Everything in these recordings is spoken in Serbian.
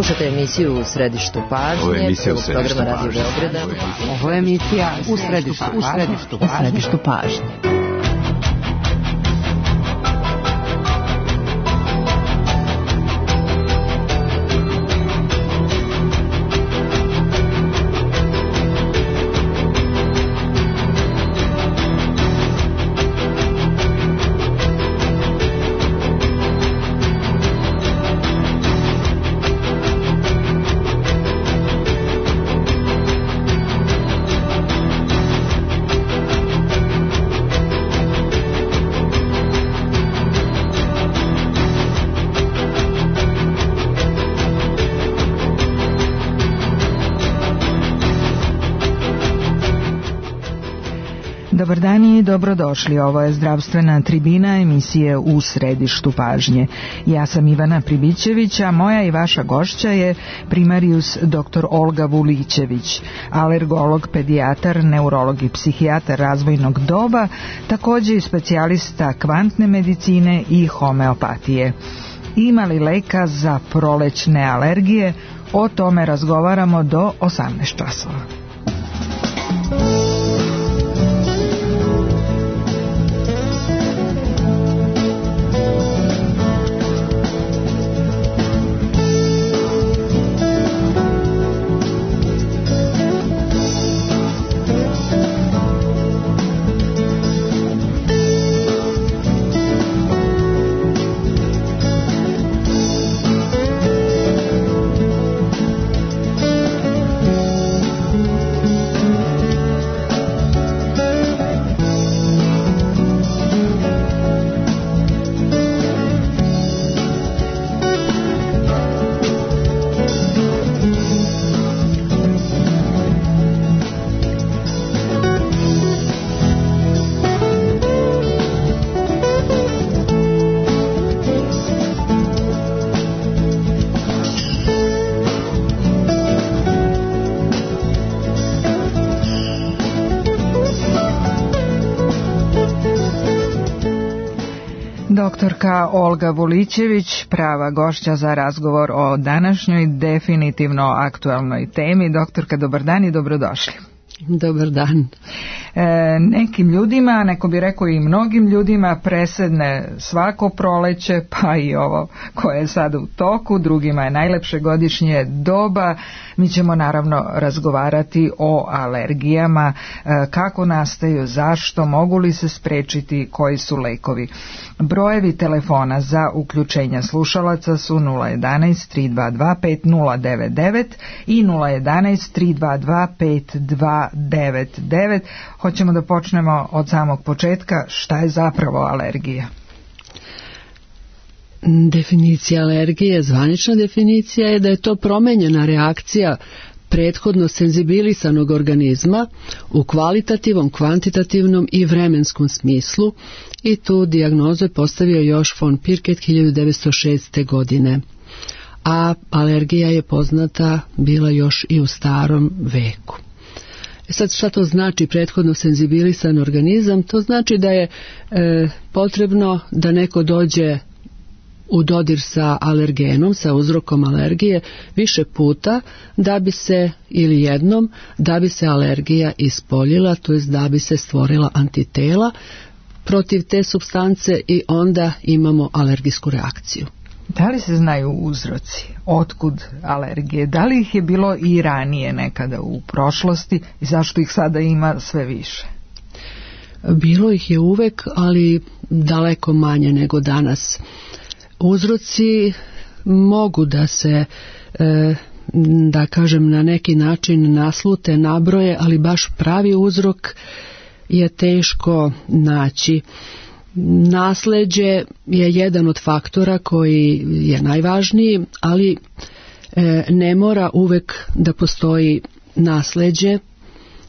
Slušate emisiju U središtu pažnje. Ovo je emisija U središtu pažnje. Ovo je emisija U središtu pažnje. Dobar dan i dobrodošli. Ovo je zdravstvena tribina emisije U središtu pažnje. Ja sam Ivana Pribićević, a moja i vaša gošća je primarijus dr. Olga Vulićević, alergolog, pedijatar, neurolog i psihijatar razvojnog doba, također i specijalista kvantne medicine i homeopatije. Ima li leka za prolećne alergije? O tome razgovaramo do 18 časova. Doktorka Olga Vulićević, prava gošća za razgovor o današnjoj definitivno aktualnoj temi. Doktorka, dobar dan i dobrodošli. Dobar dan. Nekim ljudima, neko bi rekao i mnogim ljudima, presedne svako proleće, pa i ovo koje je sada u toku, drugima je najlepše godišnje doba. Mi ćemo naravno razgovarati o alergijama, kako nastaju, zašto, mogu li se sprečiti, koji su lekovi. Brojevi telefona za uključenja slušalaca su 011 322 5099 i 011 322 5299. Hoćemo da počnemo od samog početka. Šta je zapravo alergija? Definicija alergije, zvanična definicija je da je to promenjena reakcija prethodno senzibilisanog organizma u kvalitativnom, kvantitativnom i vremenskom smislu, i tu dijagnozu je postavio još von Pirket 1906. godine. A alergija je poznata bila još i u starom veku. Sad, šta to znači prethodno senzibilisan organizam? To znači da je potrebno da neko dođe u dodir sa alergenom, sa uzrokom alergije više puta da bi se, ili jednom, da bi se alergija ispoljila, to jest da bi se stvorila antitela protiv te supstance i onda imamo alergijsku reakciju. Da li se znaju uzroci? Otkud alergije? Da li ih je bilo i ranije nekada u prošlosti i zašto ih sada ima sve više? Bilo ih je uvek, ali daleko manje nego danas. Uzroci mogu da se, da kažem, na neki način naslute, nabroje, ali baš pravi uzrok je teško naći. Nasleđe je jedan od faktora koji je najvažniji, ali ne mora uvek da postoji nasleđe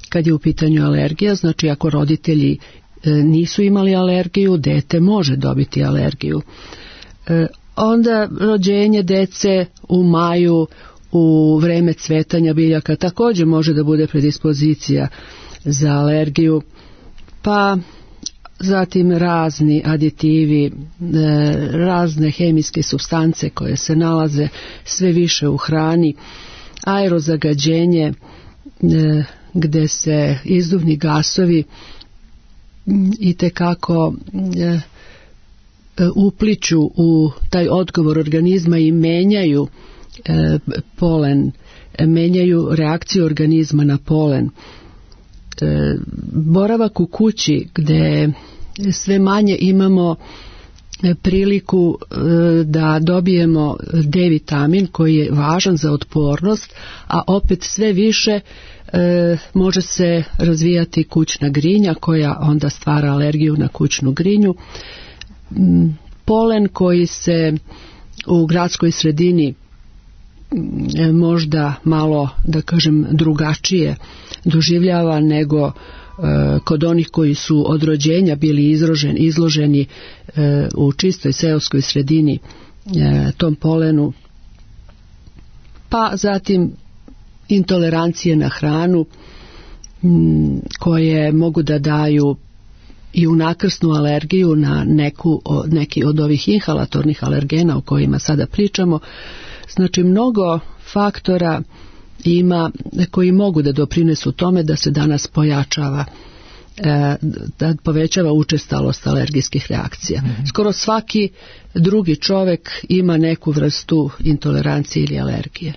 kad je u pitanju alergija. Znači, ako roditelji nisu imali alergiju, dete može dobiti alergiju. Onda rođenje dece u maju, u vreme cvetanja biljaka, također može da bude predispozicija za alergiju. Pa zatim razni aditivi, razne hemijske supstance koje se nalaze sve više u hrani, aerozagađenje gdje se izduvni gasovi itekako upliću u taj odgovor organizma i menjaju polen, menjaju reakciju organizma na polen. Boravak u kući gdje sve manje imamo priliku da dobijemo D vitamin koji je važan za otpornost, a opet sve više može se razvijati kućna grinja koja onda stvara alergiju na kućnu grinju. Polen koji se u gradskoj sredini možda malo, da kažem, drugačije doživljava nego kod onih koji su od rođenja bili izloženi u čistoj seoskoj sredini tom polenu. Pa zatim intolerancije na hranu koje mogu da daju i unakrsnu alergiju na neki od ovih inhalatornih alergena o kojima sada pričamo. Znači mnogo faktora ima koji mogu da doprinesu tome da se danas pojačava, da povećava učestalost alergijskih reakcija. Skoro svaki drugi čovjek ima neku vrstu intolerancije ili alergije.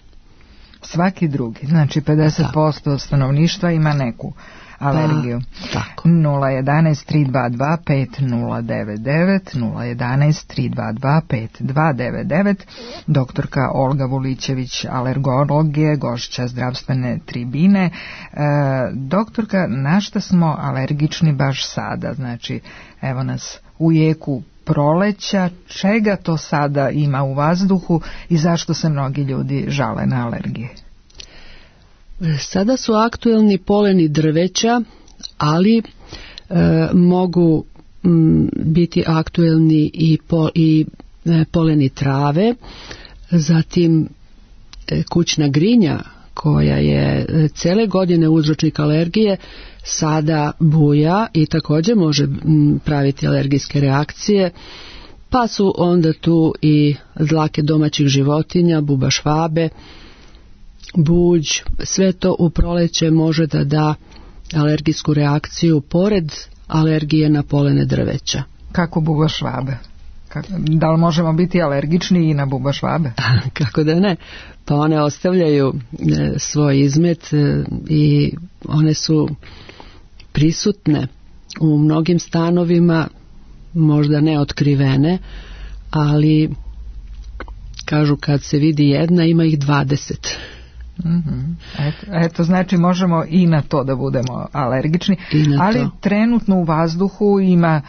Svaki drugi, znači 50% stanovništva ima neku alergiju. Tako. 011-322-5099, 011-322-5299. Doktorka Olga Vulićević, alergolog je gošća zdravstvene tribine. Doktorka, na šta smo alergični baš sada? Znači, evo nas u jeku proleća, čega to sada ima u vazduhu i zašto se mnogi ljudi žale na alergije? Sada su aktuelni poleni drveća, ali mogu biti aktuelni i poleni trave, zatim kućna grinja koja je cele godine uzročnik alergije, sada buja i također može praviti alergijske reakcije, pa su onda tu i dlake domaćih životinja, buba švabe, buđ, sve to u proleće može da da alergijsku reakciju pored alergije na polene drveća. Kako buba švabe? Da li možemo biti alergični i na buba švabe? Kako da ne? Pa one ostavljaju svoj izmet i one su prisutne u mnogim stanovima, možda ne otkrivene, ali kažu kad se vidi jedna ima ih 20. Eto, znači možemo i na to da budemo alergični, ali trenutno u vazduhu ima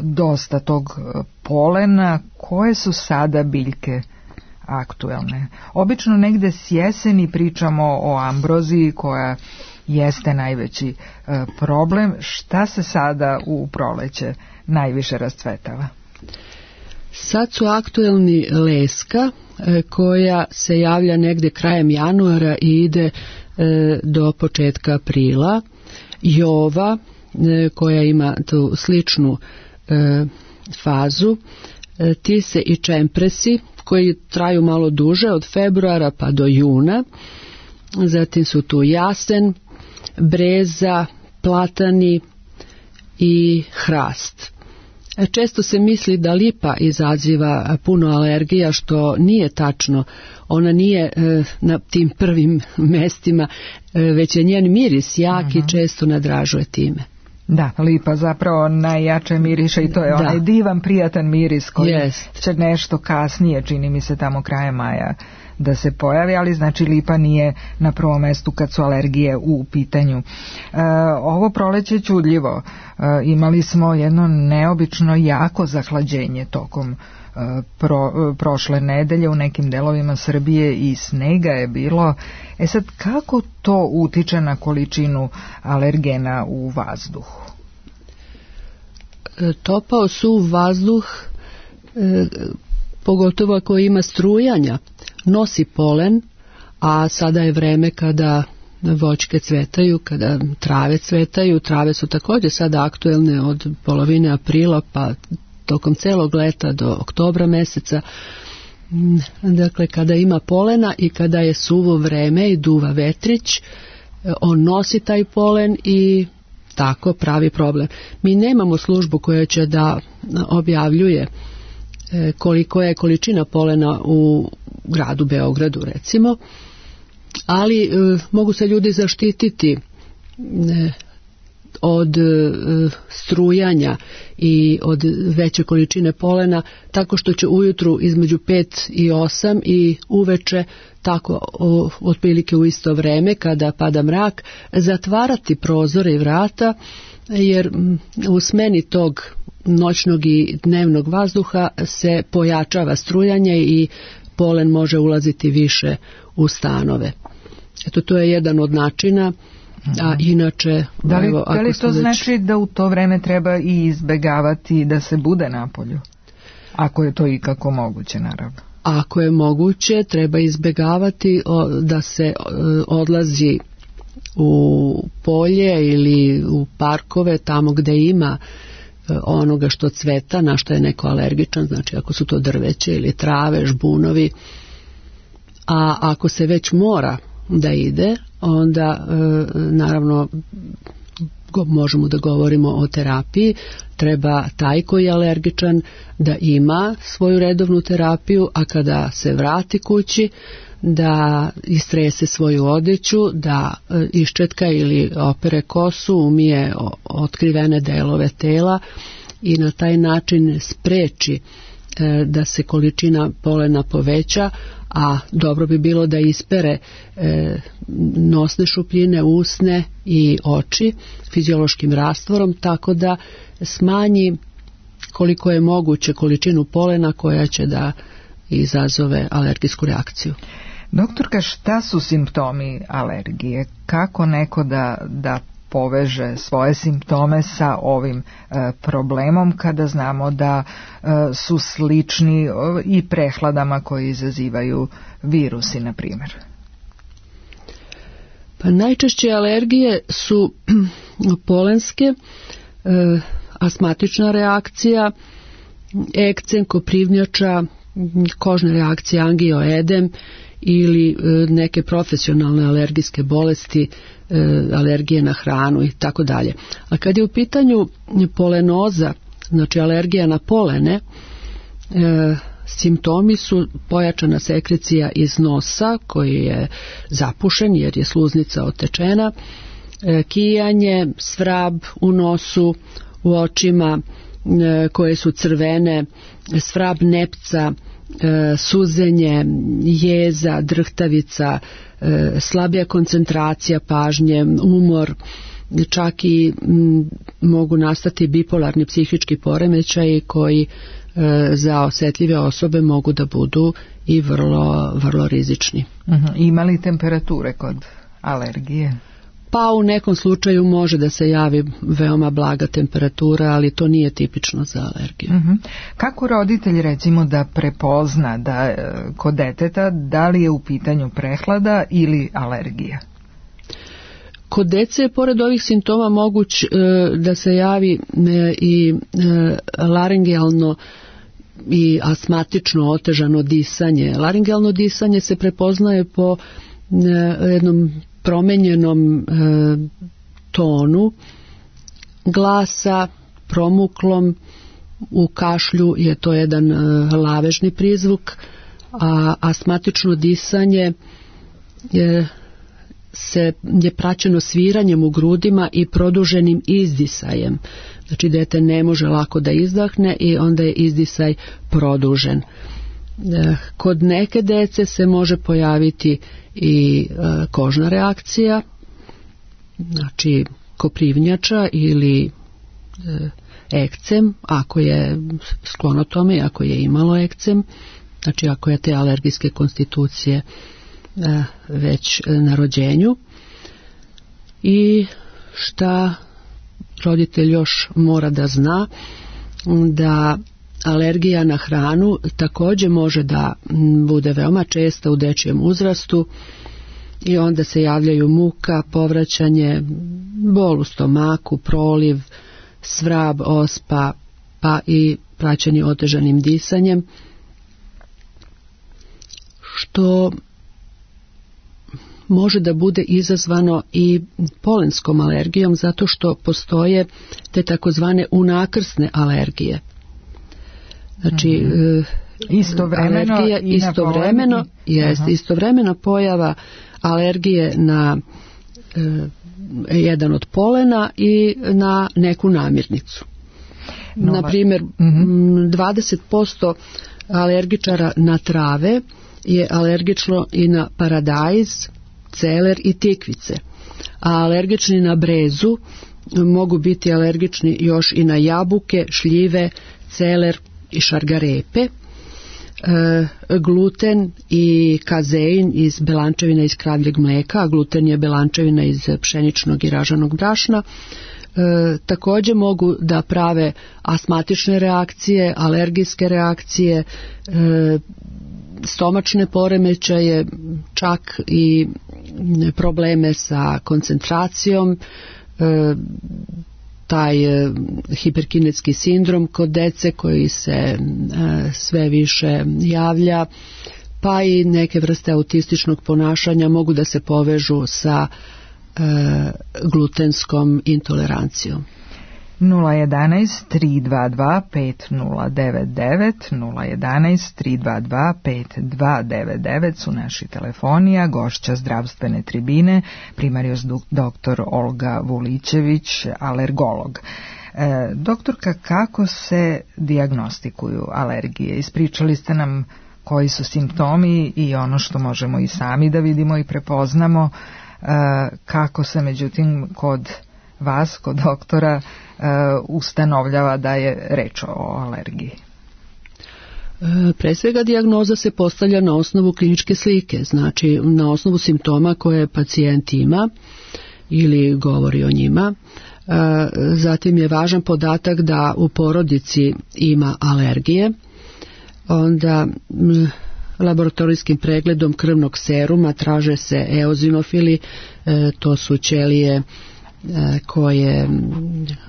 dosta tog polena. Koje su sada biljke aktuelne? Obično negde s jeseni pričamo o ambroziji koja jeste najveći problem. Šta se sada u proleće najviše rascvetava? Sad su aktuelni leska koja se javlja negde krajem januara i ide do početka aprila. Jova koja ima tu sličnu fazu, tise i čempresi koji traju malo duže od februara pa do juna. Zatim su tu jasen, breza, platani i hrast. Često se misli da lipa izaziva puno alergija, što nije tačno. Ona nije na tim prvim mestima, već je njen miris jak i često nadražuje time. Da, lipa zapravo najjače miriše i to je onaj divan, prijatan miris koji će nešto kasnije, čini mi se tamo krajem maja, da se pojavi, ali znači lipa nije na prvom mestu kad su alergije u pitanju. Ovo proleće čudljivo. Imali smo jedno neobično jako zahlađenje tokom prošle nedelje u nekim delovima Srbije i snega je bilo. Sad, kako to utiče na količinu alergena u vazduhu? Topao suv vazduh, pogotovo ako ima strujanja, nosi polen, a sada je vreme kada voćke cvetaju, kada trave cvetaju. Trave su također sada aktuelne od polovine aprila pa tokom celog leta do oktobra meseca. Dakle, kada ima polena i kada je suvo vreme i duva vetrić, on nosi taj polen i tako pravi problem. Mi nemamo službu koja će da objavljuje koliko je količina polena u gradu Beogradu, recimo, ali mogu se ljudi zaštititi od strujanja i od veće količine polena tako što će ujutru između 5 i 8 i uveče tako otprilike u isto vreme kada pada mrak zatvarati prozore i vrata, jer u smeni tog noćnog i dnevnog vazduha se pojačava strujanje i polen može ulaziti više u stanove. Eto, to je jedan od načina. A inače, da li to znači da u to vreme treba i izbegavati da se bude napolju? Ako je to ikako moguće, naravno. Ako je moguće, treba izbegavati da se odlazi u polje ili u parkove, tamo gde ima onoga što cveta, na što je neko alergičan, znači ako su to drveće ili trave, žbunovi. A ako se već mora da ide, onda naravno možemo da govorimo o terapiji. Treba taj koji je alergičan da ima svoju redovnu terapiju, a kada se vrati kući da istrese svoju odeću, da iščetka ili opere kosu, umije otkrivene delove tela i na taj način spreči da se količina polena poveća, a dobro bi bilo da ispere nosne šupljine, usne i oči fiziološkim rastvorom, tako da smanji koliko je moguće količinu polena koja će da izazove alergijsku reakciju. Doktorka, šta su simptomi alergije? Kako neko da poveže svoje simptome sa ovim problemom kada znamo da su slični i prehladama koji izazivaju virusi, na primjer? Pa najčešće alergije su polenske, astmatična reakcija, ekcem, koprivnjača, kožne reakcije, angioedem ili neke profesionalne alergijske bolesti, alergije na hranu i tako dalje. A kad je u pitanju polenoza, znači alergija na polene, simptomi su pojačana sekrecija iz nosa koji je zapušen jer je sluznica otečena, kijanje, svrab u nosu, u očima koje su crvene, svrab nepca, suzenje, jeza, drhtavica, slabija koncentracija pažnje, umor, čak i mogu nastati bipolarni psihički poremećaji koji za osjetljive osobe mogu da budu i vrlo rizični. Ima li temperature kod alergije? Pa u nekom slučaju može da se javi veoma blaga temperatura, ali to nije tipično za alergiju. Kako roditelj recimo da prepozna da kod deteta da li je u pitanju prehlada ili alergija? Kod dece je pored ovih simptoma moguć da se javi i laringealno i astmatično otežano disanje. Laringealno disanje se prepoznaje po jednom promenjenom tonu glasa, promuklom, u kašlju je to jedan lavežni prizvuk, a astmatično disanje je praćeno sviranjem u grudima i produženim izdisajem. Znači dete ne može lako da izdahne i onda je izdisaj produžen. Kod neke dece se može pojaviti i kožna reakcija, znači koprivnjača ili ekcem, ako je sklono tome, ako je imalo ekcem, znači ako je te alergijske konstitucije već na rođenju. I šta roditelj još mora da zna, da alergija na hranu također može da bude veoma česta u dečijem uzrastu i onda se javljaju muka, povraćanje, bol u stomaku, proliv, svrab, ospa, pa i praćenje otežanim disanjem, što može da bude izazvano i polenskom alergijom, zato što postoje te takozvane unakrsne alergije. Znači, istovremeno alergija istovremena pojava alergije na jedan od polena i na neku namirnicu. Na primjer, 20% alergičara na trave je alergično i na paradajz, celer i tikvice, a alergični na brezu mogu biti alergični još i na jabuke, šljive, celer i šargarepe. Gluten i kazein iz belančevina iz kravljeg mlijeka, a gluten je belančevina iz pšeničnog i raženog brašna, također mogu da prave astmatične reakcije, alergijske reakcije, stomačne poremećaje, čak i probleme sa koncentracijom, taj hiperkinetski sindrom kod dece koji se sve više javlja, pa i neke vrste autističnog ponašanja mogu da se povežu sa glutenskom intolerancijom. 011 322 5099 011 322 5299 su naši telefoni, a gošća zdravstvene tribine primarijus dr. Olga Vulićević, alergolog. Doktorka, kako se dijagnostikuju alergije? Ispričali ste nam koji su simptomi i ono što možemo i sami da vidimo i prepoznamo, kako se međutim kod vas, kod doktora, ustanovljava da je reč o alergiji? Pre svega dijagnoza se postavlja na osnovu kliničke slike, znači na osnovu simptoma koje pacijent ima ili govori o njima. Zatim je važan podatak da u porodici ima alergije, onda laboratorijskim pregledom krvnog seruma traže se eozinofili, to su ćelije koje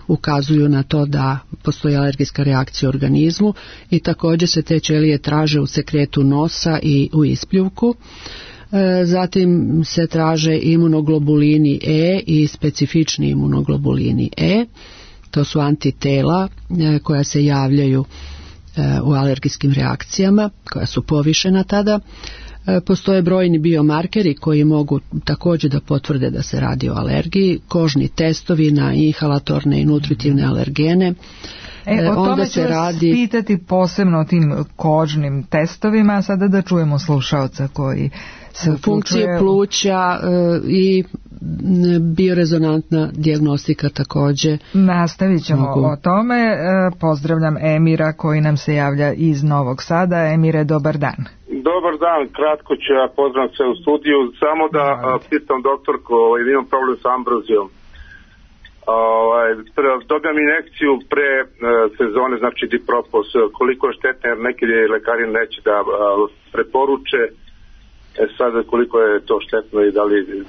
ukazuju na to da postoji alergijska reakcija u organizmu, i također se te ćelije traže u sekretu nosa i u ispljuvku. Zatim se traže imunoglobulini E i specifični imunoglobulini E, to su antitela koja se javljaju u alergijskim reakcijama, koja su povišena tada. Postoje brojni biomarkeri koji mogu također da potvrde da se radi o alergiji, kožni testovi na inhalatorne i nutritivne alergene. O tome ću vas pitati posebno o tim kožnim testovima, a sada da čujemo slušaoca koji se funkcije pluća i biorezonantna dijagnostika također. Nastavit ćemo o tome. Pozdravljam Emira koji nam se javlja iz Novog Sada. Emire, dobar dan. Dobar dan, kratko ću ja pozdravim se u studiju, samo da pitam doktorku, imam problem sa ambrozijom. Dobijam injekciju pre sezone, znači Dipropos, koliko je štetno, jer neki lekari neće da preporuče, sad koliko je to štetno i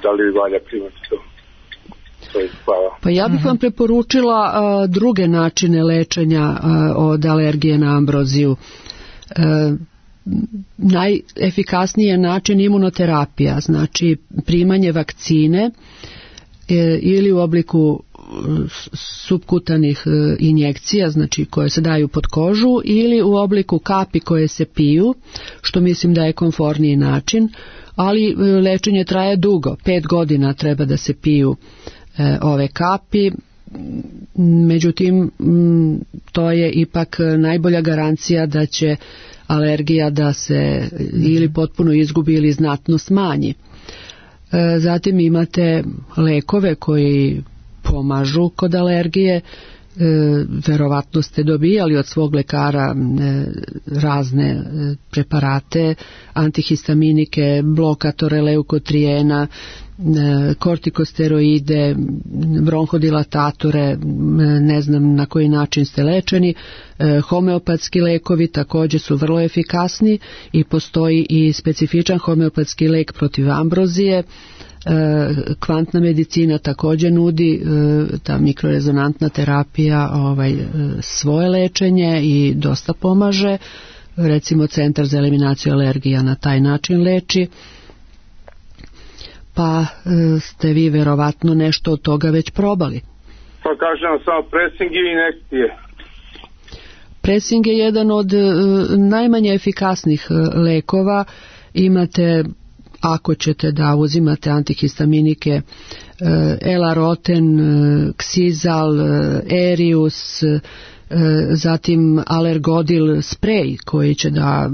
da li valja primati to. Hvala. Pa ja bih vam preporučila druge načine lečenja od alergije na ambroziju. Najefikasniji je način imunoterapija, znači primanje vakcine ili u obliku supkutanih injekcija, znači koje se daju pod kožu, ili u obliku kapi koje se piju, što mislim da je komforniji način, ali lečenje traje dugo, 5 godina treba da se piju ove kapi. Međutim, to je ipak najbolja garancija da će alergija da se ili potpuno izgubi ili znatno smanji. Zatim imate lekove koji pomažu kod alergije, verovatno ste dobijali od svog lekara razne preparate, antihistaminike, blokatore leukotrijena, kortikosteroide, bronhodilatatore, ne znam na koji način ste lečeni. Homeopatski lekovi također su vrlo efikasni i postoji i specifičan homeopatski lek protiv ambrozije. Kvantna medicina također nudi, ta mikrorezonantna terapija, svoje lečenje i dosta pomaže. Recimo Centar za eliminaciju alergija na taj način leči. Pa ste vi verovatno nešto od toga već probali. Pa kažem samo presing i injekcije. Presing je jedan od najmanje efikasnih lekova. Imate, ako ćete da uzimate antihistaminike, Elaroten, Xizal, Erius, zatim Alergodil sprej koji će da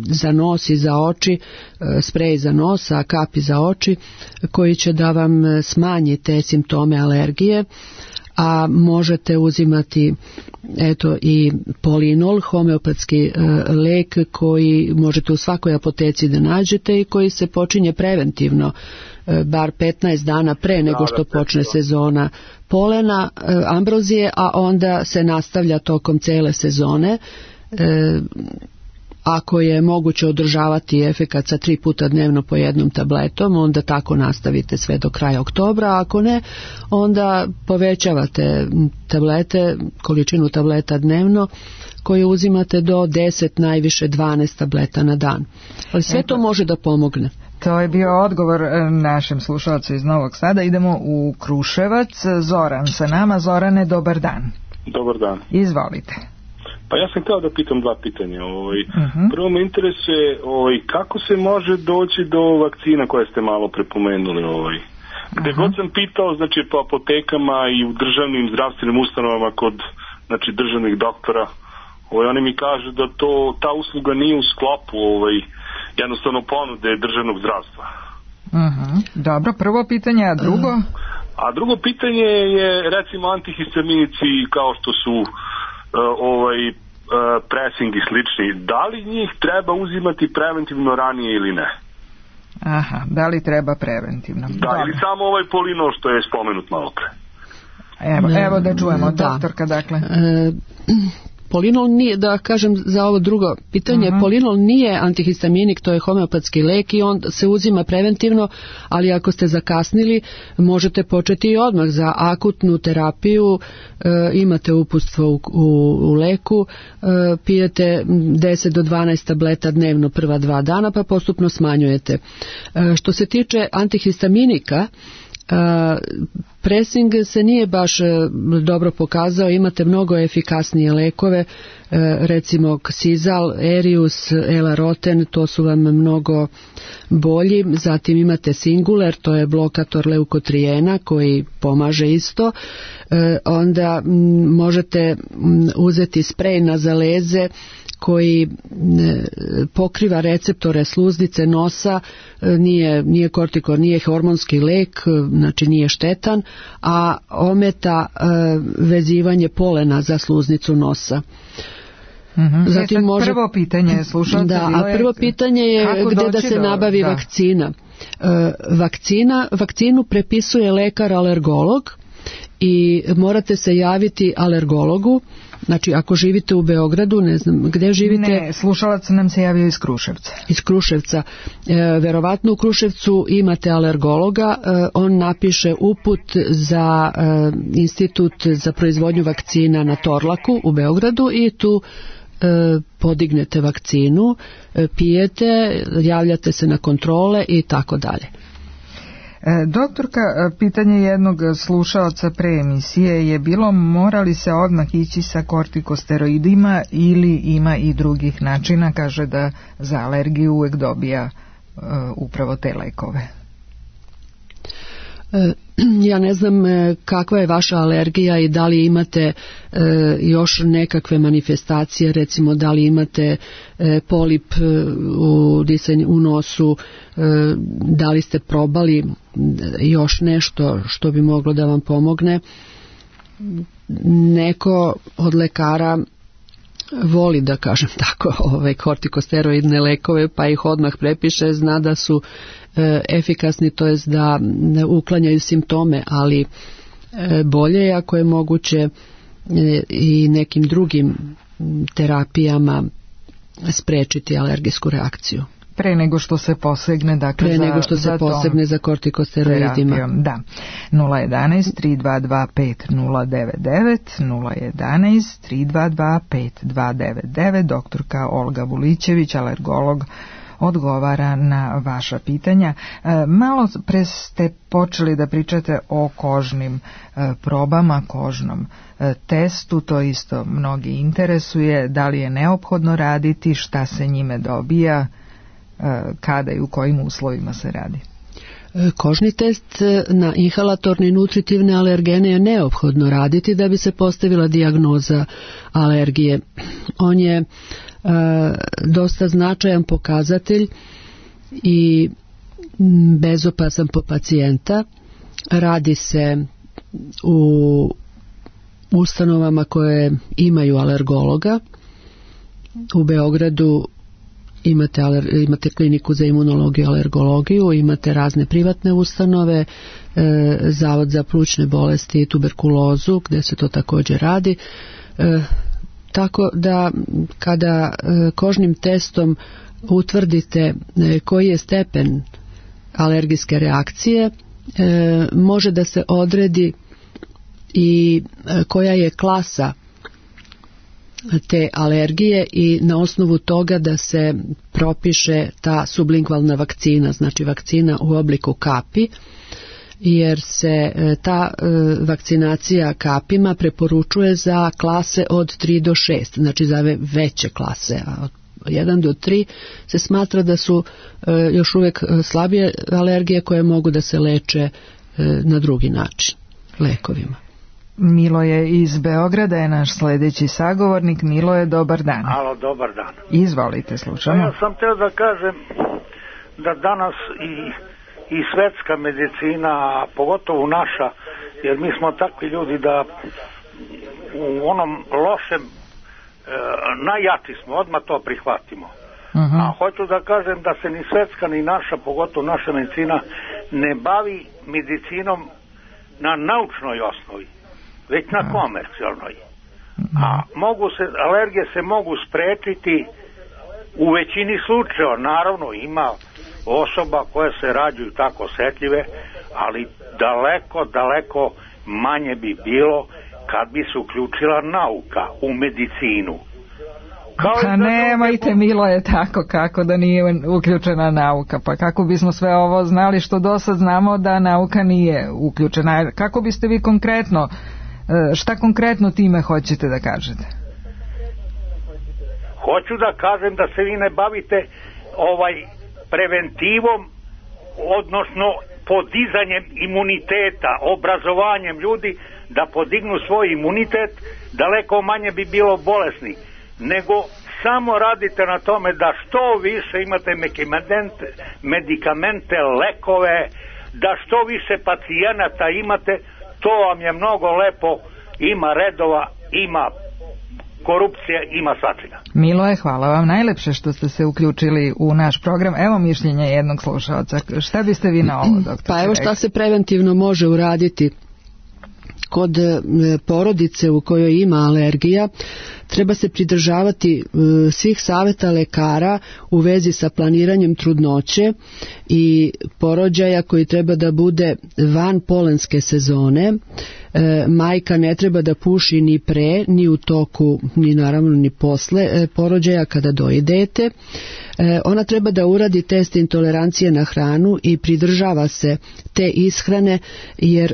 za nos i za oči, sprej za nos, a kapi za oči, koji će da vam smanji te simptome alergije. A možete uzimati i polinol, homeopatski lek koji možete u svakoj apoteci da nađete i koji se počinje preventivno, bar 15 dana pre nego što počne sezona polena, ambrozije, a onda se nastavlja tokom cele sezone. Ako je moguće održavati efekat sa 3 puta dnevno po jednom tabletom, onda tako nastavite sve do kraja oktobra, a ako ne, onda povećavate tablete, količinu tableta dnevno koju uzimate do 10, najviše 12 tableta na dan. Ali sve to može da pomogne. To je bio odgovor našem slušalcu iz Novog Sada. Idemo u Kruševac. Zoran sa nama. Zorane, dobar dan. Dobar dan. Izvolite. Pa ja sam htio da pitam 2 pitanja. Prvo me interesuje kako se može doći do vakcina koje ste malo prepomenuli. Gde god sam pitao, znači po apotekama i u državnim zdravstvenim ustanovama kod državnih doktora, oni mi kažu da ta usluga nije u sklopu jednostavno ponude državnog zdravstva. Dobro, prvo pitanje, a drugo? A drugo pitanje je recimo antihistaminici kao što su pressing i slični, da li njih treba uzimati preventivno ranije ili ne? Aha, da li treba preventivno? Da, ili samo polinol što je spomenut malo pre. Evo da čujemo, doktorka, dakle. Polinol nije, da kažem za ovo drugo pitanje, polinol nije antihistaminik, to je homeopatski lek i on se uzima preventivno, ali ako ste zakasnili, možete početi i odmah za akutnu terapiju, imate uputstvo u leku, pijete 10 do 12 tableta dnevno prva 2 dana, pa postupno smanjujete. Što se tiče antihistaminika, pressing se nije baš dobro pokazao, imate mnogo efikasnije lekove, recimo Xizal, Erius, Elaroten, to su vam mnogo bolji. Zatim imate Singuler, to je blokator leukotrijena koji pomaže isto. Onda možete uzeti sprej na zaleze koji pokriva receptore sluznice nosa, nije kortikor, nije hormonski lek, znači nije štetan, a ometa vezivanje polena za sluznicu nosa. Zatim prvo pitanje je prvo pitanje je gdje da se nabavi vakcina. Vakcinu prepisuje lekar alergolog i morate se javiti alergologu. Znači, ako živite u Beogradu, ne znam gdje živite... Ne, slušalac nam se javio iz Kruševca. Iz Kruševca. Verovatno u Kruševcu imate alergologa, on napiše uput za institut za proizvodnju vakcina na Torlaku u Beogradu i tu podignete vakcinu, pijete, javljate se na kontrole i tako dalje. Doktorka, pitanje jednog slušaoca pre emisije je bilo mora li se odmah ići sa kortikosteroidima ili ima i drugih načina, kaže da za alergiju uvek dobija upravo te lekove. Ja ne znam kakva je vaša alergija i da li imate još nekakve manifestacije, recimo da li imate polip u nosu, da li ste probali još nešto što bi moglo da vam pomogne. neko od lekara voli, da kažem tako, kortikosteroidne lekove, pa ih odmah prepiše, zna da su efikasni, to jest da uklanjaju simptome, ali bolje je ako je moguće i nekim drugim terapijama sprečiti alergijsku reakciju. Pre nego što se posegne, dakle, pre nego što se posegne za kortikosteroidima. Da. 011-322-5099, 011-322-5299, doktorka Olga Vulićević, alergolog, odgovara na vaša pitanja. Malo pre ste počeli da pričate o kožnim probama, kožnom testu, to isto mnogi interesuje, da li je neophodno raditi, šta se njime dobija, kada i u kojim uslovima se radi. Kožni test na inhalatorne i nutritivne alergene je neophodno raditi da bi se postavila dijagnoza alergije. On je dosta značajan pokazatelj i bezopasan po pacijenta. Radi se u ustanovama koje imaju alergologa. U Beogradu imate kliniku za imunologiju i alergologiju, imate razne privatne ustanove, Zavod za plućne bolesti i tuberkulozu gdje se to također radi. Tako da kada kožnim testom utvrdite koji je stepen alergijske reakcije, može da se odredi i koja je klasa te alergije i na osnovu toga da se propiše ta sublingvalna vakcina, znači vakcina u obliku kapi, jer se ta vakcinacija kapima preporučuje za klase od 3 do 6, znači za veće klase, a od 1 do 3 se smatra da su još uvijek slabije alergije koje mogu da se leče na drugi način, lekovima. Miloje iz Beograda je naš sljedeći sagovornik. Miloje, dobar dan. Alo, dobar dan. Izvolite, slušamo. Ja sam teo da kažem da danas i svetska medicina, a pogotovo naša, jer mi smo takvi ljudi da u onom lošem najjači smo, odmah to prihvatimo. A hoću da kažem da se ni svetska ni naša, pogotovo naša medicina, ne bavi medicinom na naučnoj osnovi, već na komercijalnoj. A alergije se mogu sprečiti u većini slučajeva. Naravno, ima osoba koje se rađaju tako osetljive, ali daleko manje bi bilo kad bi se uključila nauka u medicinu. Pa nemojte, Miloje, tako kako da nije uključena nauka, pa kako bismo sve ovo znali što do sad znamo da nauka nije uključena. Kako biste vi konkretno, šta konkretno time hoćete da kažete? Hoću da kažem da se vi ne bavite preventivom, odnosno podizanjem imuniteta, obrazovanjem ljudi da podignu svoj imunitet, daleko manje bi bilo bolesni, nego samo radite na tome da što više imate medikamente, lekove, da što više pacijenata imate, to vam je mnogo lepo, ima redova, ima korupcije, ima svačega. Miloje, hvala vam najlepše što ste se uključili u naš program. Evo mišljenje jednog slušaoca. Šta biste vi na ovo, doktor? Pa evo šta se preventivno može uraditi. Kod porodice u kojoj ima alergija treba se pridržavati svih savjeta lekara u vezi sa planiranjem trudnoće i porođaja koji treba da bude van polenske sezone. Majka ne treba da puši ni pre, ni u toku, ni naravno ni posle porođaja kada doji dete. Ona treba da uradi test intolerancije na hranu i pridržava se te ishrane, jer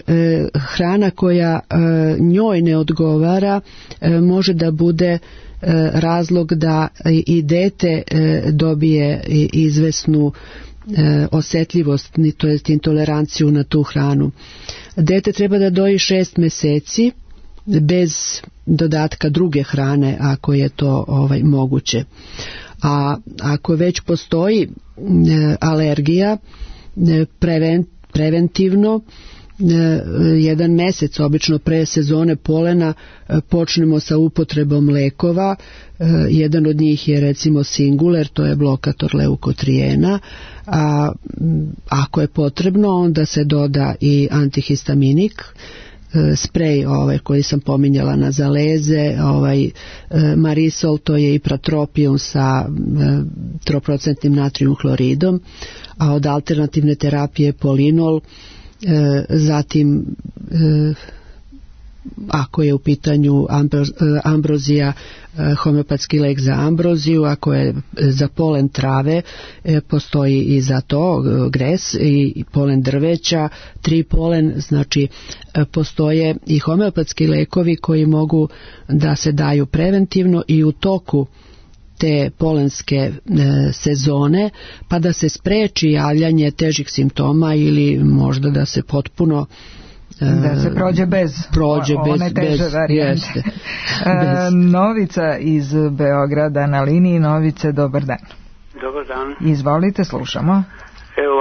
hrana koja njoj ne odgovara može da bude razlog da i dete dobije izvesnu osjetljivost, to jest intoleranciju na tu hranu. Dete treba da doji 6 mjeseci bez dodatka druge hrane ako je to moguće. A ako već postoji alergija, preventivno jedan mesec, obično pre sezone polena, počnemo sa upotrebom lekova. Jedan od njih je recimo Singuler, to je blokator leukotrijena, a ako je potrebno onda se doda i antihistaminik, sprej koji sam pominjala na zaleze, Marisol, to je ipratropium sa 3% natrium hloridom, a od alternativne terapije Polinol, zatim ako je u pitanju ambrozija, homeopatski lek za ambroziju, ako je za polen trave, postoji i za to gres i polen drveća, tripolen, znači postoje i homeopatski lekovi koji mogu da se daju preventivno i u toku te polenske sezone, pa da se spreči javljanje težih simptoma ili možda da se potpuno da se prođe bez one teže varijante. Novica iz Beograda na liniji. Novice, dobar dan. Dobar dan. Izvolite, slušamo. Evo,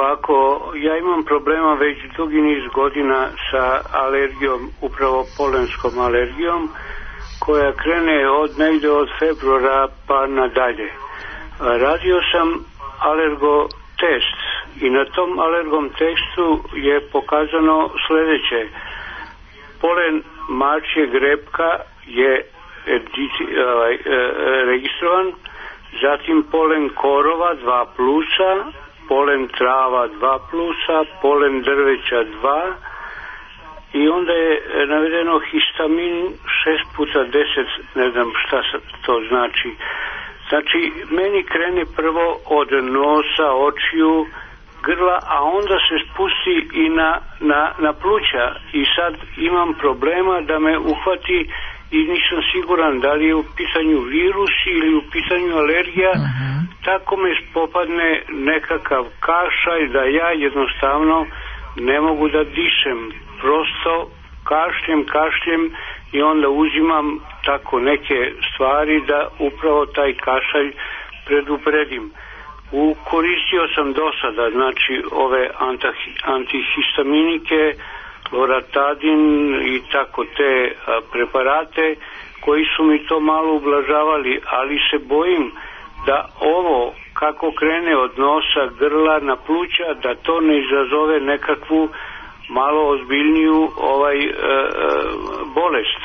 ja imam problema već dugi niz godina sa alergijom, upravo polenskom alergijom, koja krene negde od februara pa nadalje. Radio sam alergotest i na tom alergom testu je pokazano sljedeće: polen mačje grepka je registrovan, zatim polen korova 2+, polen trava 2+, polen drveća 2, i onda je navedeno histamin 6x10, ne znam šta to znači. Znači, meni krene prvo od nosa, očiju, grla, a onda se spusti i na pluća. I sad imam problema da me uhvati i nisam siguran da li je u pitanju virus ili u pitanju alergija. Tako me popadne nekakav kašalj da ja jednostavno ne mogu da dišem. Prosto kašljem i onda uzimam tako neke stvari da upravo taj kašalj predupredim. Koristio sam do sada, znači, ove antihistaminike, loratadin i tako te preparate koji su mi to malo ublažavali, ali se bojim da ovo kako krene od nosa, grla na pluća, da to ne izazove nekakvu malo ozbiljniju bolest.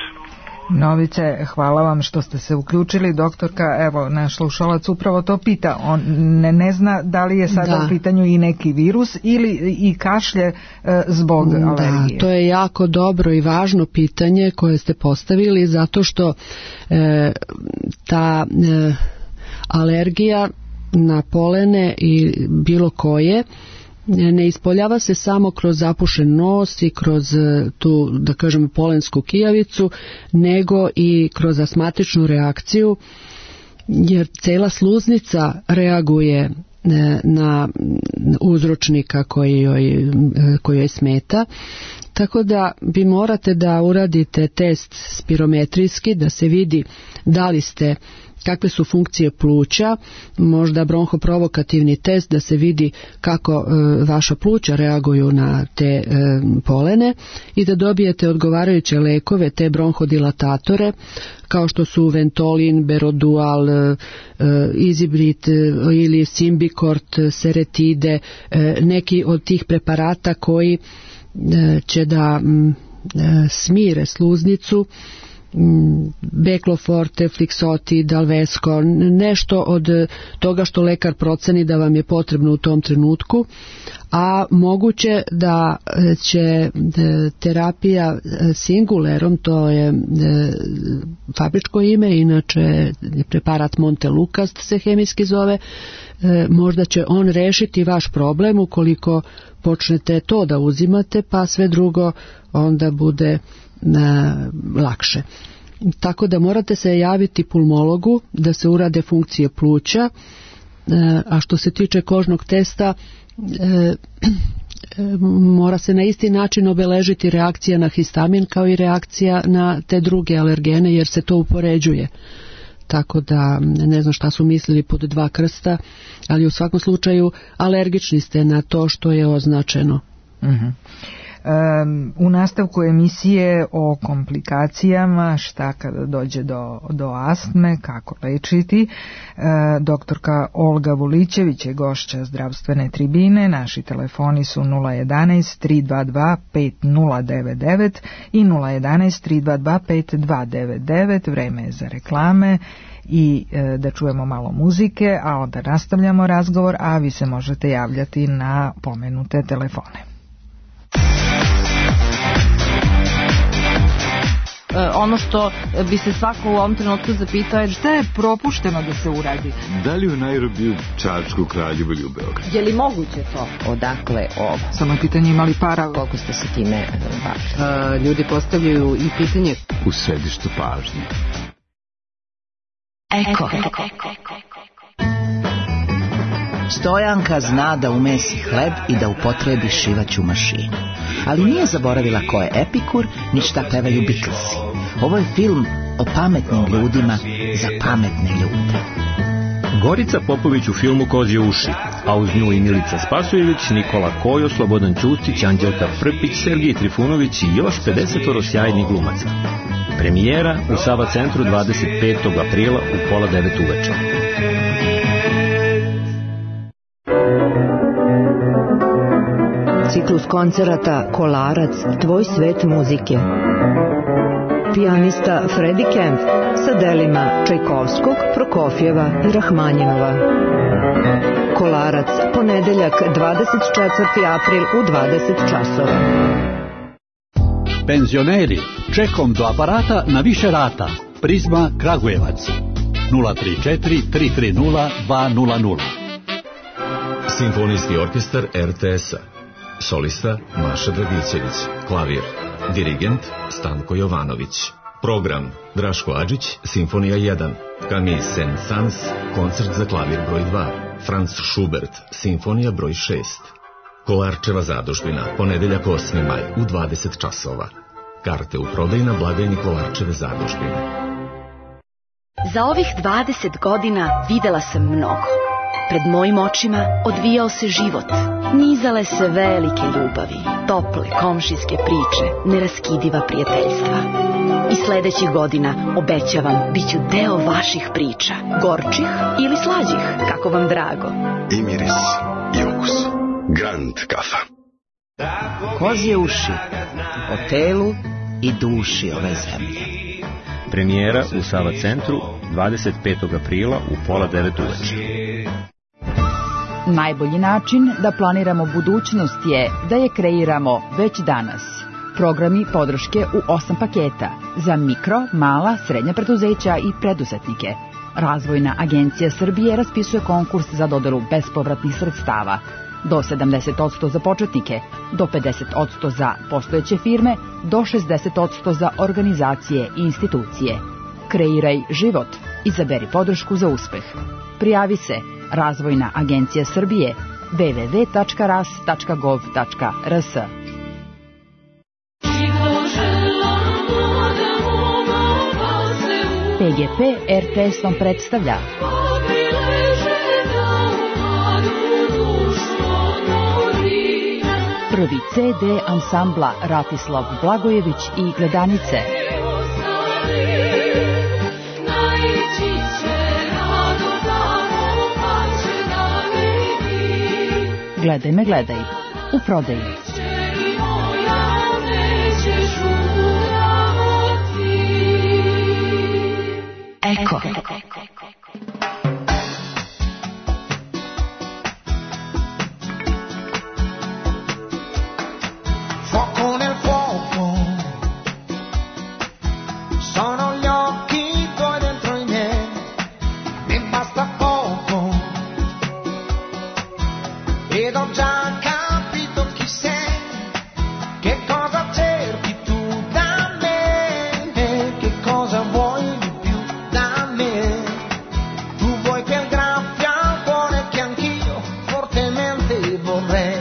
Novice, hvala vam što ste se uključili. Doktorka, evo, naš slušalac upravo to pita. On ne zna da li je sada u pitanju i neki virus ili i kašlje zbog alergije. To je jako dobro i važno pitanje koje ste postavili, zato što ta alergija na polene i bilo koje ne ispoljava se samo kroz zapušen nos i kroz tu, da kažem, polensku kijavicu, nego i kroz astmatičnu reakciju, jer cela sluznica reaguje na uzročnika koji joj smeta. Tako da vi morate da uradite test spirometrijski, da se vidi da li ste, kakve su funkcije pluća, možda bronhoprovokativni test da se vidi kako vaša pluća reaguju na te polene i da dobijete odgovarajuće lekove, te bronhodilatatore, kao što su Ventolin, Berodual, Izibrit ili Simbicort, Seretide, neki od tih preparata koji će da smire sluznicu, Bekloforte, Flixoti, Dalvesco, nešto od toga što lekar proceni da vam je potrebno u tom trenutku, a moguće da će terapija Singulerom, to je fabričko ime, inače preparat Montelukast se hemijski zove, možda će on rešiti vaš problem ukoliko počnete to da uzimate, pa sve drugo onda bude lakše. Tako da morate se javiti pulmologu da se urade funkcije pluća, a što se tiče kožnog testa, mora se na isti način obeležiti reakcija na histamin kao i reakcija na te druge alergene, jer se to upoređuje. Tako da ne znam šta su mislili pod 2 krsta, ali u svakom slučaju alergični ste na to što je označeno. U nastavku emisije o komplikacijama, šta kada dođe do astme, kako lečiti, doktorka Olga Vulićević je gošća zdravstvene tribine. Naši telefoni su 011 322 5099 i 011 322 5299. Vreme je za reklame i da čujemo malo muzike, a onda nastavljamo razgovor, a vi se možete javljati na pomenute telefone. Ono što bi se svako u ovom trenutku zapitao je šta je propušteno da se uradi. Da li u Nairobiju, Čačku, Kraljevu ili u Beogradu? Je li moguće to? Odakle ovo? Samo pitanje ima li para? Koliko ste se time bavili? Ljudi postavljaju i pitanje U središtu pažnje. Eko. Stojanka zna da umesi hleb i da upotrebi šivaću mašinu. Ali nije zaboravila ko je Epikur, ni šta pevaju Beatlesi. Ovo je film o pametnim ljudima za pametne ljude. Gorica Popović u filmu Kozje uši, a uz nju i Milica Spasojević, Nikola Kojo, Slobodan Ćustić, Anđelka Prpić, Sergij Trifunović i još 50 sjajnih glumaca. Premijera u Sava centru 25. aprila u 8:30 uveče. Ciklus koncerata Kolarac, tvoj svet muzike. Pijanista Freddie Kemp sa delima Čajkovskog, Prokofjeva i Rahmanjinova. Kolarac, ponedeljak 24. april u 20 časova. Penzioneri, čekom do aparata na više rata. Prizma Kragujevac 034 330 200. Simfonijski orkestar RTS-a. Solista Maša Dragićević. Klavir. Dirigent Stanko Jovanović. Program Draško Adžić, Simfonija 1. Camille Saint-Saëns, koncert za klavir broj 2. Franz Schubert, Simfonija broj 6. Kolarčeva zadužbina, ponedeljak 8. maj u 20 časova. Karte u prodaju na blagajni Kolarčeve zadužbine. Za ovih 20 godina videla sam mnogo. Pred mojim očima odvijao se život. Nizale se velike ljubavi, tople komšijske priče, neraskidiva prijateljstva. I sledećih godina, obećavam, bit ću deo vaših priča. Gorčih ili slađih, kako vam drago. I miris, i okus. Grand kafa. Kozje uši, o telu i duši ove zemlje. Premijera u Sava centru 25. aprila u 8:30 uveče. Najbolji način da planiramo budućnost je da je kreiramo već danas. Programi podrške u 8 paketa za mikro, mala, srednja preduzeća i preduzetnike. Razvojna agencija Srbije raspisuje konkurs za dodelu bespovratnih sredstava. Do 70% za početnike, do 50% za postojeće firme, do 60% za organizacije i institucije. Kreiraj život. Izaberi podršku za uspeh. Prijavi se Razvojna agencija Srbije www.ras.gov.rs. PGP RTS vam predstavlja prvi CD ansambla Ratislav Blagojević i Gledanice. Gledaj me, gledaj. U prodaji. Eko. Fuoco nel fuoco, sono gli occhi tuoi dentro i miei, mi basta poco, ed ho già capito chi sei, che cosa cerchi tu da me, che cosa vuoi di più da me, tu vuoi quel graffio al cuore che anch'io fortemente vorrei.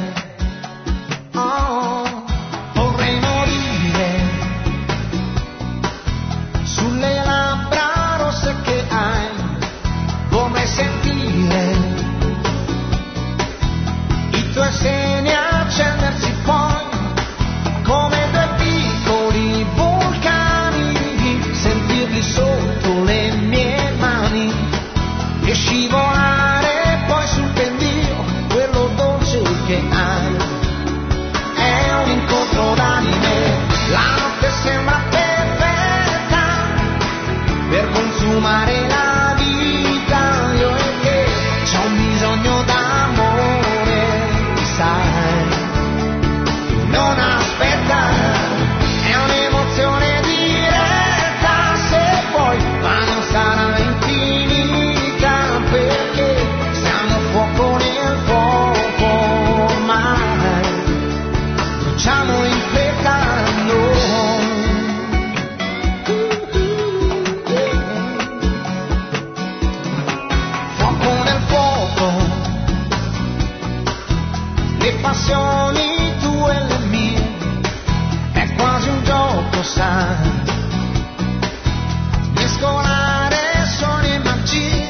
Seni accendersi poi di volare poi sul pendio, quello dolce che hai è un incontro d'anime. La notte sembra perfetta per consumare la vita, io e te c'ho un bisogno d'amore, sai, non aspetta, è un'emozione diretta se vuoi, ma non sarà infinita perché siamo fuoco nel fuoco ormai, bruciamo in fretta noi. Fuoco nel fuoco, le passioni tue e le mie, è quasi un gioco, sai, mescolare suoni e magie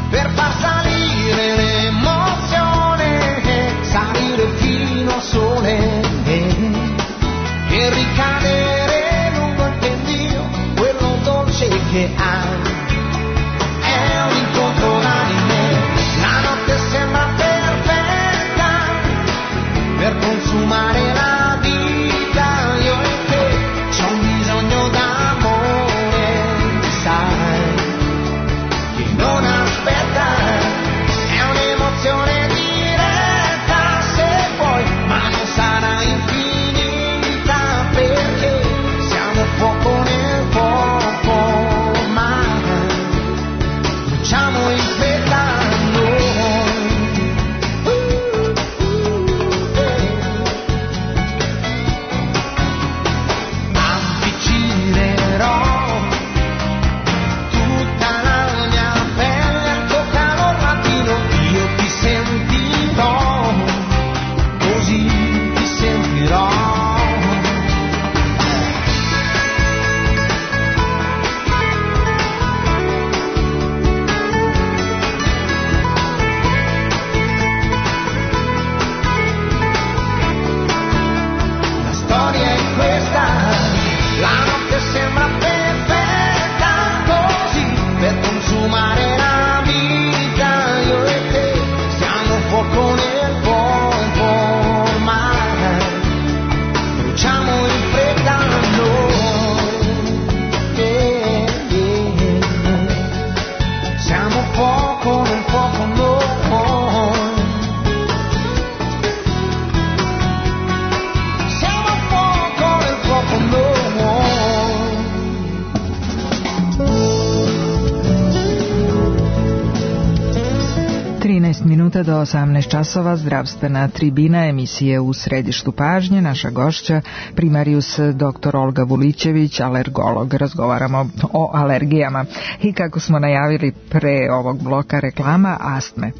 per far salire l'emozione, salire fino al sole e ricadere lungo il pendio, quello dolce che hai è un incontro d'anime. La notte sembra perfetta per consumare la vita, io e te c'ho un bisogno d'amore, sai, che non aspetta, è un'emozione diretta se vuoi, ma non sarà infinita perché siamo fuoco nel fuoco ormai, bruciamo in fretta noi. Avvicinerò tutta la mia pelle al tuo calor latino, io ti sentirò, così ti sentirò. La storia è questa, la notte sembra perfetta così per consumare la vita, io e te siamo fuoco nel fuoco ormai, bruciamo in fretta noi, siamo fuoco nel fuoco noi. Siamo fuoco nel fuoco noi. 13 minuta do 18 časova, zdravstvena tribina emisije U središtu pažnje. Naša gošća, primarius dr. Olga Vulićević, alergolog. Razgovaramo o alergijama i kako smo najavili pre ovog bloka reklama, astme.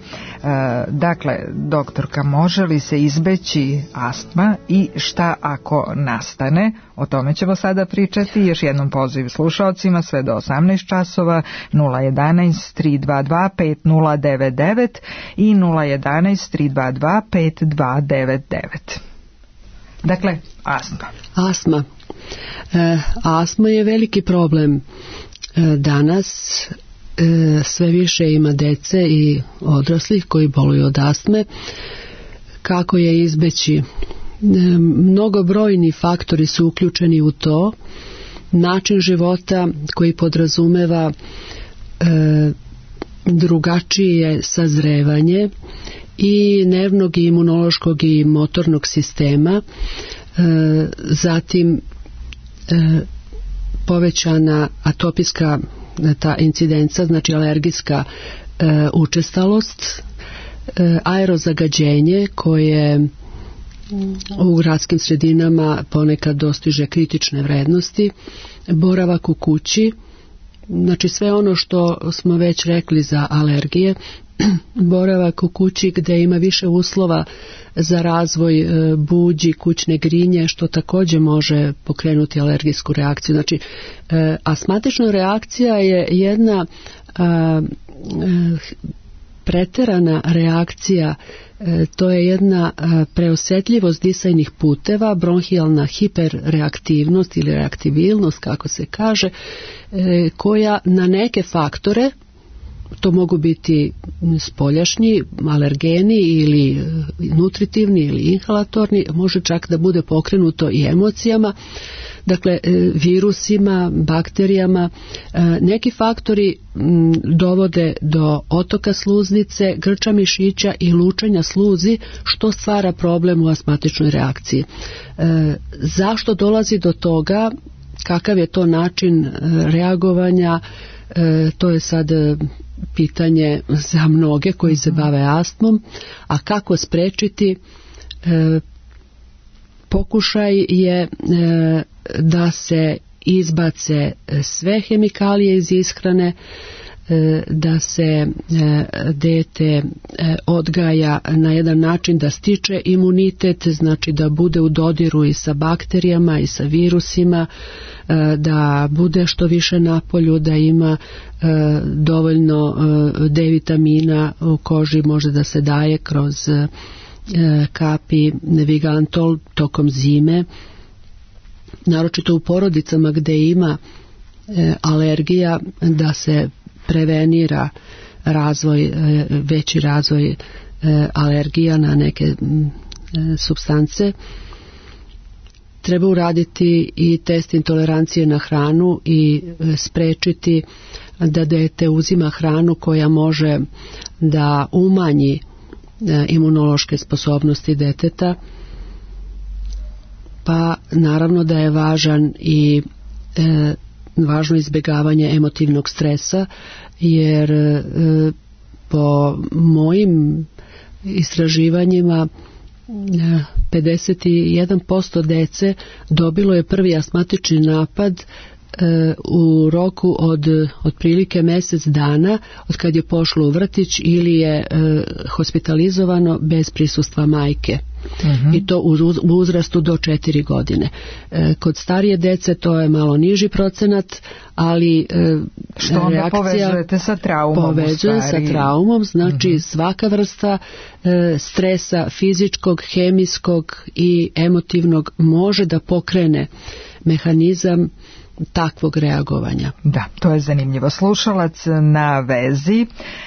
Dakle, doktorka, može li se izbeći astma i šta ako nastane? O tome ćemo sada pričati. Još jednom poziv slušaocima sve do 18 časova 011 322 5099 i 011 322 5299. Dakle, astma. Astma je veliki problem danas. Sve više ima dece i odraslih koji boluju od astme. Kako je izbeći? Mnogobrojni faktori su uključeni u to. Način života koji podrazumeva drugačije sazrevanje i nervnog i imunološkog i motornog sistema, zatim povećana atopijska ta incidenca, znači alergijska učestalost, aerozagađenje koje u gradskim sredinama ponekad dostiže kritične vrednosti, boravak u kući, znači sve ono što smo već rekli za alergije, boravak u kući gdje ima više uslova za razvoj buđi, kućne grinje, što također može pokrenuti alergijsku reakciju. Znači, astmatična reakcija je jedna preterana reakcija, to je jedna preosjetljivost disajnih puteva, bronhijalna hiperreaktivnost ili reaktibilnost, kako se kaže, koja na neke faktore to mogu biti spoljašnji alergeni ili nutritivni ili inhalatorni, može čak da bude pokrenuto i emocijama, dakle virusima, bakterijama. Neki faktori dovode do otoka sluznice, grča mišića i lučenja sluzi, što stvara problem u astmatičnoj reakciji. Zašto dolazi do toga, kakav je to način reagovanja, to je sad pitanje za mnoge koji se bave astmom, a kako sprečiti? Pokušaj je da se izbace sve hemikalije iz ishrane, da se dete odgaja na jedan način da stiče imunitet, znači da bude u dodiru i sa bakterijama i sa virusima, da bude što više na polju, da ima dovoljno D vitamina u koži, može da se daje kroz kapi Vigantol tokom zime, naročito u porodicama gdje ima alergija, da se prevenira veći razvoj alergija na neke supstance. Treba uraditi i test intolerancije na hranu i sprečiti da dete uzima hranu koja može da umanji imunološke sposobnosti deteta. Pa naravno da je važno izbjegavanje emotivnog stresa, jer po mojim istraživanjima 51% dece dobilo je prvi astmatični napad u roku od otprilike mjesec dana od kad je pošlo u vrtić ili je hospitalizovano bez prisustva majke. I to u uzrastu do 4 godine. Kod starije dece to je malo niži procenat, ali što onda povezujete sa traumom? Povezuje sa traumom, znači svaka vrsta stresa fizičkog, hemijskog i emotivnog može da pokrene mehanizam takvog reagovanja. Da, to je zanimljivo. Slušalac na vezi.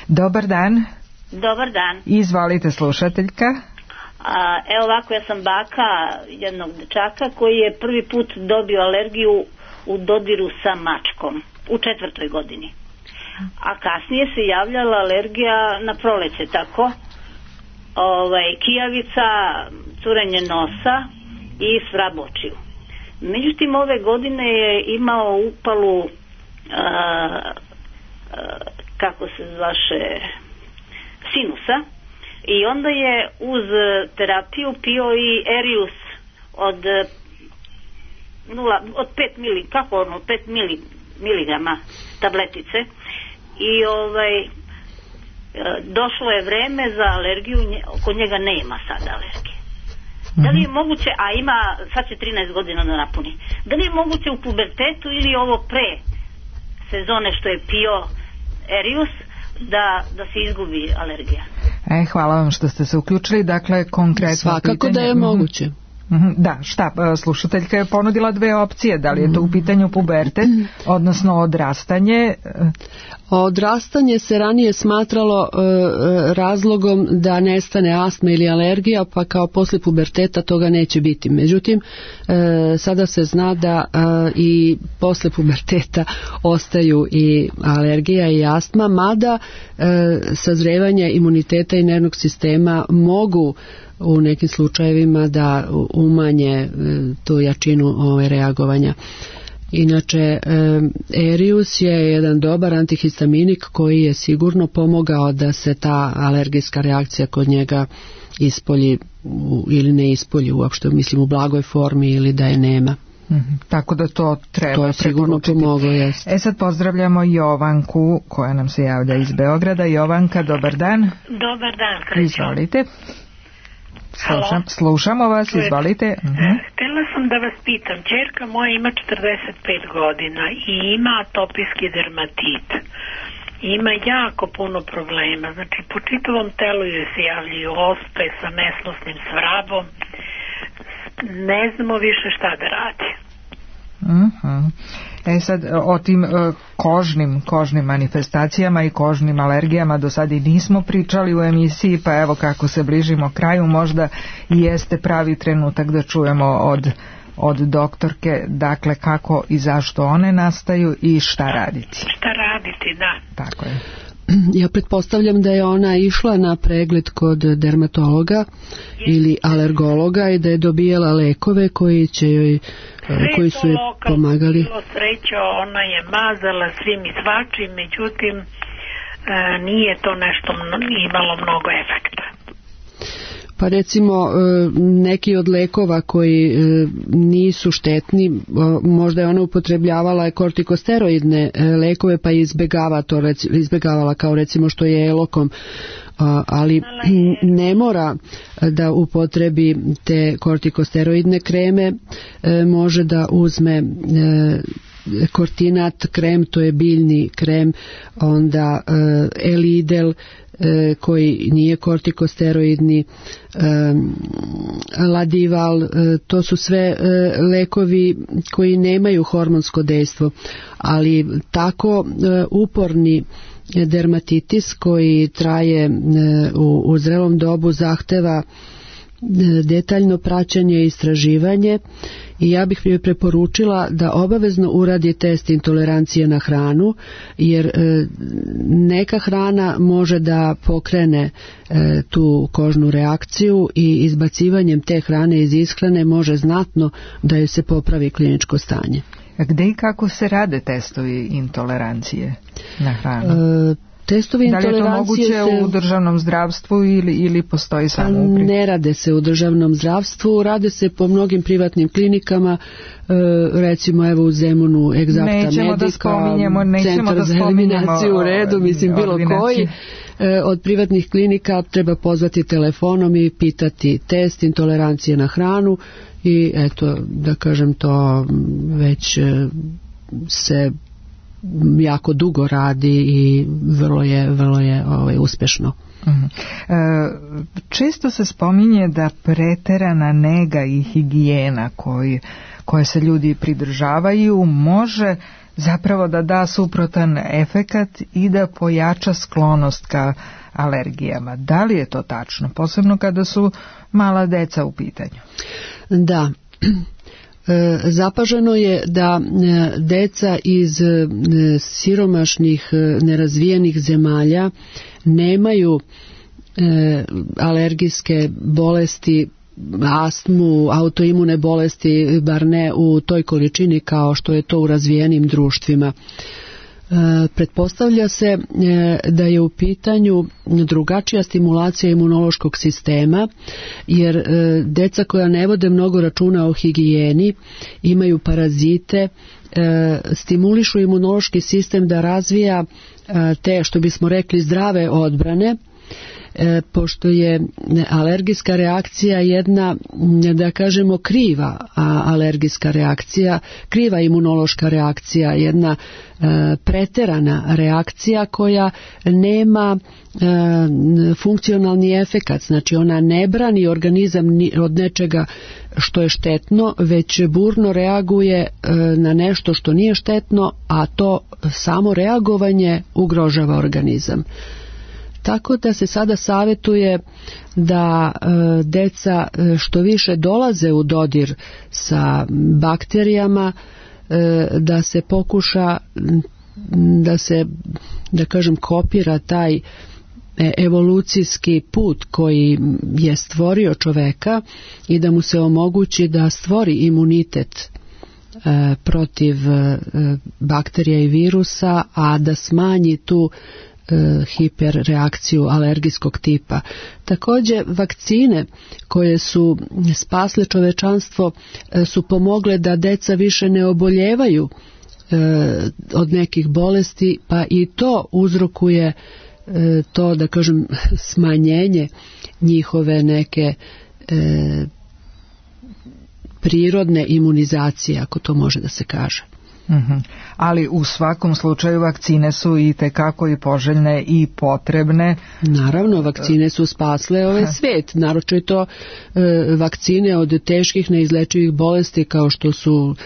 Dobar dan. Dobar dan. Izvolite, slušateljka. Evo ovako, ja sam baka jednog dečaka koji je prvi put dobio alergiju u dodiru sa mačkom u 4. godini. A kasnije se javljala alergija na proleće, tako? Kijavica, curenje nosa i svrab očiju. Međutim, ove godine je imao upalu kako se zvaše sinusa, i onda je uz terapiju pio i Erius od 5 miligrama tabletice, i došlo je vreme za alergiju, kod njega nema sada alergije. Da li je moguće, a ima, sad će 13 godina da napuni, da li je moguće u pubertetu ili ovo pre sezone što je pio Erius da se izgubi alergija? Hvala vam što ste se uključili. Dakle, konkretno svakako pitanje, da je moguće. Da, slušateljka je ponudila 2 opcije. Da li je to u pitanju pubertet, odnosno odrastanje? Odrastanje se ranije smatralo razlogom da nestane astma ili alergija, pa kao posle puberteta toga neće biti. Međutim, sada se zna da i posle puberteta ostaju i alergija i astma, mada sazrevanje imuniteta i nervnog sistema mogu u nekim slučajevima da umanje tu jačinu reagovanja. Inače, Erius je jedan dobar antihistaminik koji je sigurno pomogao da se ta alergijska reakcija kod njega ispolji ili ne ispolji uopšte, mislim u blagoj formi, ili da je nema. Tako da to treba. To je sigurno pomoglo, jest. Sad pozdravljamo Jovanku koja nam se javlja iz Beograda. Jovanka, dobar dan. Dobar dan. Izvolite. Slušamo vas, izvolite. Htjela sam da vas pitam, ćerka moja ima 45 godina i ima atopijski dermatit. Ima jako puno problema, znači po čitavom telu joj se javljaju ospe sa mesnosnim svrabom. Ne znamo više šta da radi. Sad o tim kožnim manifestacijama i kožnim alergijama do sad i nismo pričali u emisiji, pa evo kako se bližimo kraju možda i jeste pravi trenutak da čujemo od doktorke, dakle kako i zašto one nastaju i šta raditi. Šta raditi, da. Tako je. Ja pretpostavljam da je ona išla na pregled kod dermatologa ili alergologa i da je dobijala lekove koji će joj koji su joj pomagali. Bilo sreća, ona je mazala svim i svačim, međutim nije to nešto imalo mnogo efekta. Pa recimo neki od lekova koji nisu štetni, možda je ona upotrebljavala kortikosteroidne lekove pa izbjegavala kao recimo što je Elokom, ali ne mora da upotrebi te kortikosteroidne kreme, može da uzme Kortinat krem, to je biljni krem, onda Elidel koji nije kortikosteroidni, Ladival, to su sve lekovi koji nemaju hormonsko dejstvo, ali tako uporni dermatitis koji traje u zrelom dobu zahteva detaljno praćenje i istraživanje i ja bih joj preporučila da obavezno uradi test intolerancije na hranu, jer neka hrana može da pokrene tu kožnu reakciju i izbacivanjem te hrane iz ishrane može znatno da joj se popravi kliničko stanje. A gde i kako se rade testovi intolerancije na hranu? Testovi da li je to moguće u državnom zdravstvu ili postoji samo u Ne rade se u državnom zdravstvu, rade se po mnogim privatnim klinikama, recimo evo u Zemunu Egzakta Medika, Centar za eliminaciju u redu, mislim bilo koji. Od privatnih klinika treba pozvati telefonom i pitati test intolerancije na hranu i eto, da kažem, to već se jako dugo radi i vrlo je uspješno. Često se spominje da preterana nega i higijena koje se ljudi pridržavaju može zapravo da da suprotan efekat i da pojača sklonost ka alergijama. Da li je to tačno? Posebno kada su mala deca u pitanju. Da. Zapaženo je da deca iz siromašnih, nerazvijenih zemalja nemaju alergijske bolesti, astmu, autoimune bolesti, bar ne u toj količini kao što je to u razvijenim društvima. Pretpostavlja se da je u pitanju drugačija stimulacija imunološkog sistema, jer deca koja ne vode mnogo računa o higijeni, imaju parazite, stimulišu imunološki sistem da razvija te, što bismo rekli, zdrave odbrane, pošto je alergijska reakcija jedna, da kažemo, kriva alergijska reakcija, kriva imunološka reakcija, jedna preterana reakcija koja nema funkcionalni efekat, znači ona ne brani organizam od nečega što je štetno, već burno reaguje na nešto što nije štetno, a to samo reagovanje ugrožava organizam. Tako da se sada savjetuje da deca što više dolaze u dodir sa bakterijama, da se pokuša da se, da kažem, kopira taj evolucijski put koji je stvorio čoveka i da mu se omogući da stvori imunitet protiv bakterija i virusa, a da smanji tu hiperreakciju alergijskog tipa. Također vakcine koje su spasle čovečanstvo su pomogle da deca više ne oboljevaju od nekih bolesti, pa i to uzrokuje to, da kažem, smanjenje njihove neke prirodne imunizacije, ako to može da se kaže. Ali u svakom slučaju vakcine su i tekako i poželjne i potrebne. Naravno, vakcine su spasle ovaj svet, naročito vakcine od teških neizlečivih bolesti kao što su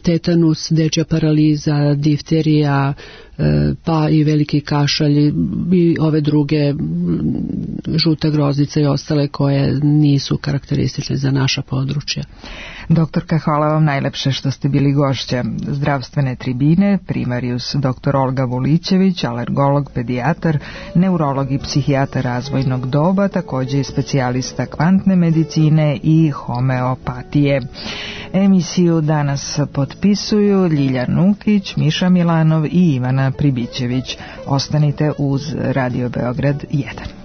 tetanus, dečja paraliza, difterija, pa i veliki kašalj i ove druge, žuta groznica i ostale koje nisu karakteristične za naša područja. Doktorka, hvala vam najlepše što ste bili gošća zdravstvene tribine, primarius dr. Olga Vulićević, alergolog, pedijatar, neurolog i psihijatar razvojnog doba, također i specijalista kvantne medicine i homeopatije. Emisiju danas potpisuju Ljilja Nukić, Miša Milanov i Ivana Pribićević. Ostanite uz Radio Beograd 1.